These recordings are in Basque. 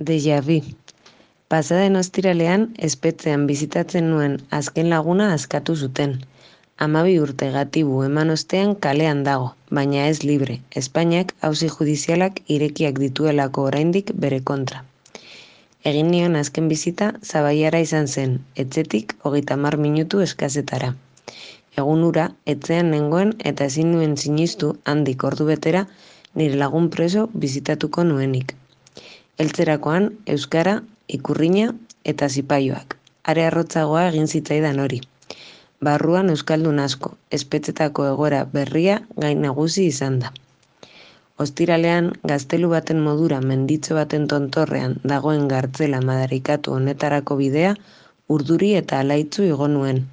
Déjà vu. Pasaden ostiralean, espetxean bizitatzen nuen azken laguna askatu zuten. 12 urte gatibu eman ostean kalean dago, baina ez libre. Espainiak auzi judizialak irekiak dituelako oraindik bere kontra. Egin nion azken bizita Zabaiara izan zen, etxetik 30 minutu eskasetara. Egun hura, etxean nengoen eta ezin nuen sinistu handik ordu betera nire lagun preso bizitatuko nuenik. Heltzerakoan, euskara, ikurrina eta zipaioak. Are arrotzagoa egin zitzaidan hori. Barruan euskaldun asko, espetxetako egoera berria gain nagusi izan da. Ostiralean, gaztelu baten modura menditxo baten tontorrean dagoen gartzela madarikatu honetarako bidea urduri eta alaitzu igo nuen.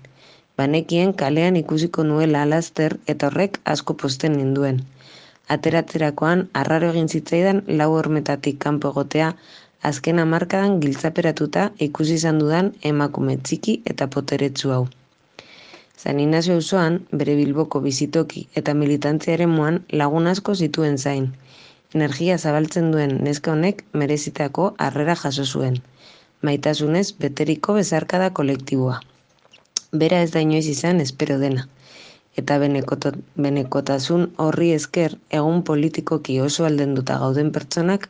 Banekien kalean ikusiko nuela laster eta horrek asko pozten ninduen. Ateratzerakoan, arraro egin zitzaidan 4 hormetatik kanpo egotea, azken hamarkadan giltzaperatuta ikusi izan dudan emakume txiki eta poteretsu hau. San Inazio auzoan, bere Bilboko bizitoki eta militantzia eremuan lagun asko zituen zain. Energia zabaltzen duen neska honek merezitako harrera jaso zuen. Maitasunez beteriko bezarkada kolektiboa. Bera ez da inoiz izan espero dena. Eta benekotasun horri esker egun politikoki oso aldenduta gauden pertsonak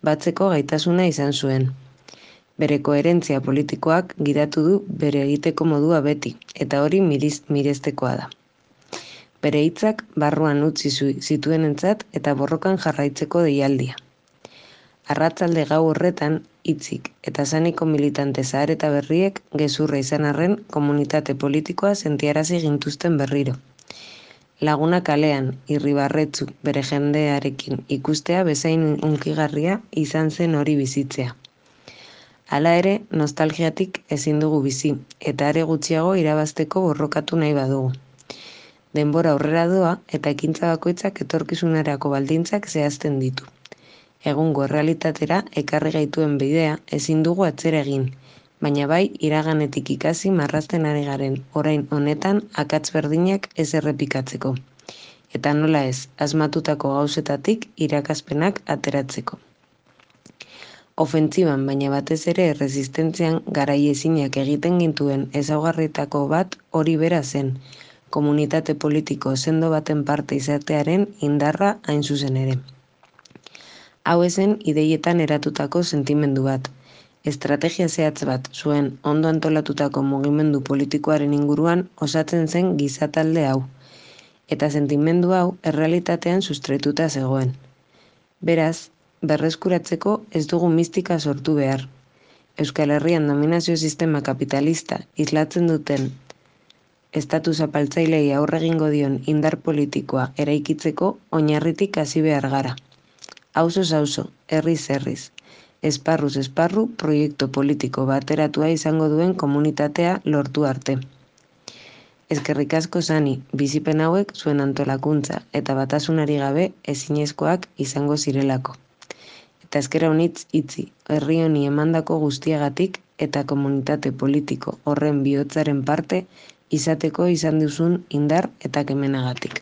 batzeko gaitasuna izan zuen. Bere koherentzia politikoak gidatu du bere egiteko modua beti, eta hori mirestekoa da. Bere hitzak barruan utzi zituenentzat eta borrokan jarraitzeko deialdia. Arratzalde gau horretan, hitzik eta zaniko militante zahar eta berriek gezurra izan arren komunitate politikoa sentiarazi gintuzten berriro. Laguna kalean, irribarretzu bere jendearekin ikustea bezain hunkigarria izan zen hori bizitzea. Hala ere, nostalgiatik ezin dugu bizi, eta are gutxiago irabazteko borrokatu nahi badugu. Denbora aurrera doa eta ekintza bakoitzak etorkizunerako baldintzak zehazten ditu. Egungo errealitatera ekarri gaituen bidea ezin dugu atzera egin, baina bai iraganetik ikasi marrazten ari garen orain honetan akats berdinak ez errepikatzeko. Eta nola ez, asmatutako gauzetatik irakaspenak ateratzeko. Ofentziban, baina batez ere erresistentzian garaiezinak egiten gintuen ezaugarrietako bat hori bera zen, komunitate politiko sendo baten parte izatearen indarra hain zuzen ere. Hau ezen ideietan eratutako sentimendu bat. Estrategia zehatz bat zuen ondo antolatutako mugimendu politikoaren inguruan osatzen zen gizatalde hau. Eta sentimendu hau errealitatean sustraituta zegoen. Beraz, berreskuratzeko ez dugu mistika sortu behar. Euskal Herrian dominazio sistema kapitalista islatzen duten estatu zapaltzailei aurre egingo dion indar politikoa eraikitzeko oinarritik hasi behar gara. Auzoz auzo, herriz herriz. Esparruz esparru proiektu politiko bateratua izango duen komunitatea lortu arte. Eskerrik asko Sani, bizipen hauek zuen antolakuntza eta batasunari gabe ezinezkoak izango zirelako. Eta esker honitz itzi, herri honi emandako guztiagatik eta komunitate politiko horren bihotzaren parte izateko izan duzun indar eta kemenagatik.